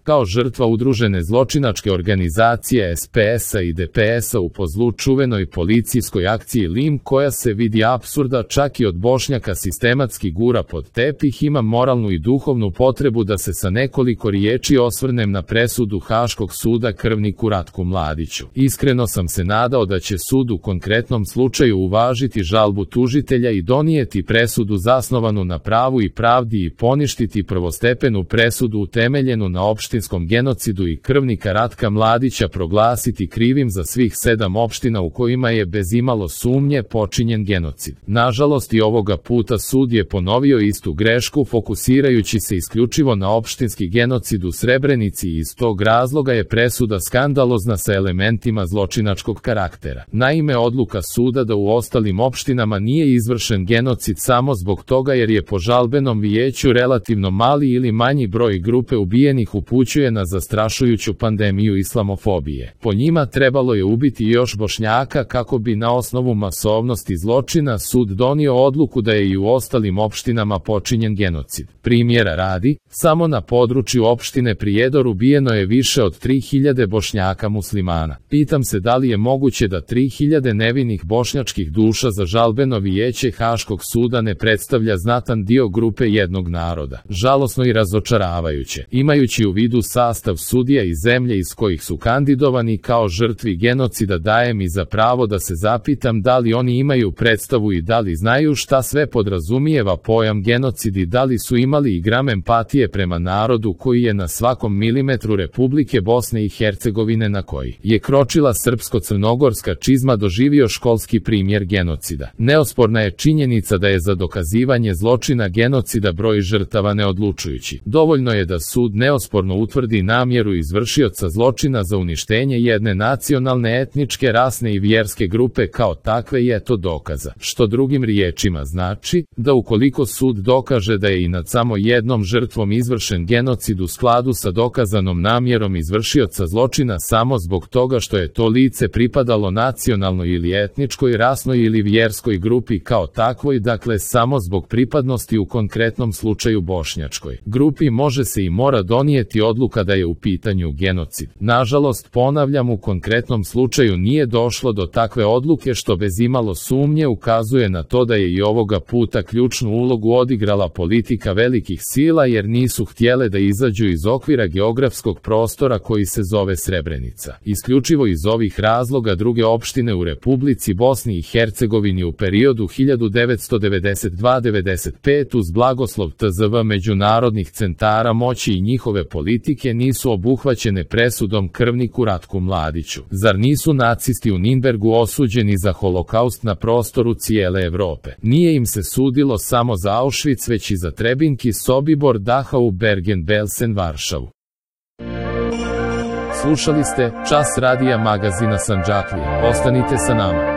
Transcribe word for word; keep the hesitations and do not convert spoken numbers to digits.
kao žrtva udružene zločinačke organizacije S P S-a i D P S-a u pozlu čuvenoj policijskoj akciji Lim, koja se vidi apsurda čak i od Bošnjaka sistematski gura pod tepih, imam moralnu i duhovnu potrebu da se sa nekoliko riječi osvrnem na presudu Haškog suda krvniku Ratku Mladiću. Iskreno sam se nadao da će sud u konkretnom slučaju uvažiti žalbu tužitelja i donijeti presudu zasnovanu na pravu i pravdi i poništiti prvostepenu presudu utemeljenu na opštinskom genocidu i krvnika Ratka Mladića proglasiti krivim za svih sedam opština u kojima je bez imalo sumnje počinjen genocid. Nažalost, i ovoga puta sud je ponovio istu grešku, fokusirajući se isključivo na opštinski genocid u Srebrenici i iz tog razloga je presuda skandalozna sa elementima zločinačkog karaktera. Naime, odluka suda da u ostalim opštinama nije izvršen genocid samo zbog toga jer je po žalbenom vijeću relativno mali ili manji broj grupe ubijenih upućuje na zastrašujuću pandemiju islamofobije. Po njima trebalo je ubiti još Bošnjaka kako bi na osnovu masovnosti zločina sud donio odluku da je i u ostalim opštinama počinjen genocid. Primjera radi, samo na području opštine Prijedor ubijeno je više od tri hiljade Bošnjaka muslimana. Pitam se da li je moguće da tri hiljade nevinih bošnjačkih duša za žalbeno vijeće Haškog suda ne predstavlja znatan dio grupe jednog naroda. Žalosno i razočaravajuće. Imajući u vidu sastav sudija i zemlje iz kojih su kandidovani kao žrtvi genocida, daje mi za pravo da se zapitam da li oni imaju predstavu i da li znaju šta sve podrazumijeva pojam genocid i da li su imali i gram empatije prema narodu koji je na svakom milimetru Republike Bosne i Hercegovine na koji je kročila srpsko-crnogorska čizma doživio školski primjer genocida. Neosporna je činjenica da je za dokazivanje zločina genocida broj žrtava neodlučujući. Dovoljno je da sud neosporno utvrdi namjeru izvršioca zločina za uništenje jedne nacionalne, etničke, rasne i vjerske grupe kao takve i eto dokaza. Što drugim riječima znači da ukoliko sud dokaže da je i nad samo jednom žrtvom izvršen genocid u skladu sa dokazanom namjerom izvršioca zločina samo zbog toga što je to lice pripadalo nacionalnoj ili etničkoj, rasnoj ili vjerskoj grupi kao takvoj, dakle samo zbog pripadnosti u konkretnom slučaju bošnjačkoj grupi, može se i mora donijeti odluka da je u pitanju genocid. Nažalost, ponavljam, u konkretnom slučaju nije došlo do takve odluke, što bez imalo sumnje ukazuje na to da je i ovoga puta ključnu ulogu odigrala politika velikih sila, jer nisu htjele da izađu iz okvira geografskog prostora koji se zove Srebrenica. Isključivo iz ovih razloga druge opštine u Republici Bosni i Hercegovini u periodu hiljadu devetsto devedeset dva do devedeset pet uz blagoslov T Z V međunarodnih centara moći i njihove politike nisu obuhvaćene presudom krvniku Ratku Mladiću. Zar nisu nacisti u Ninbergu osuđeni za holokaust na prostoru cijele Evrope? Nije im se sudilo samo za Auschwitz, već i za Trebinki, Sobibor, Dachau, Bergen-Belsen, Varšavu. Slušali ste Čas radija magazina Sandžaklija. Ostanite sa nama.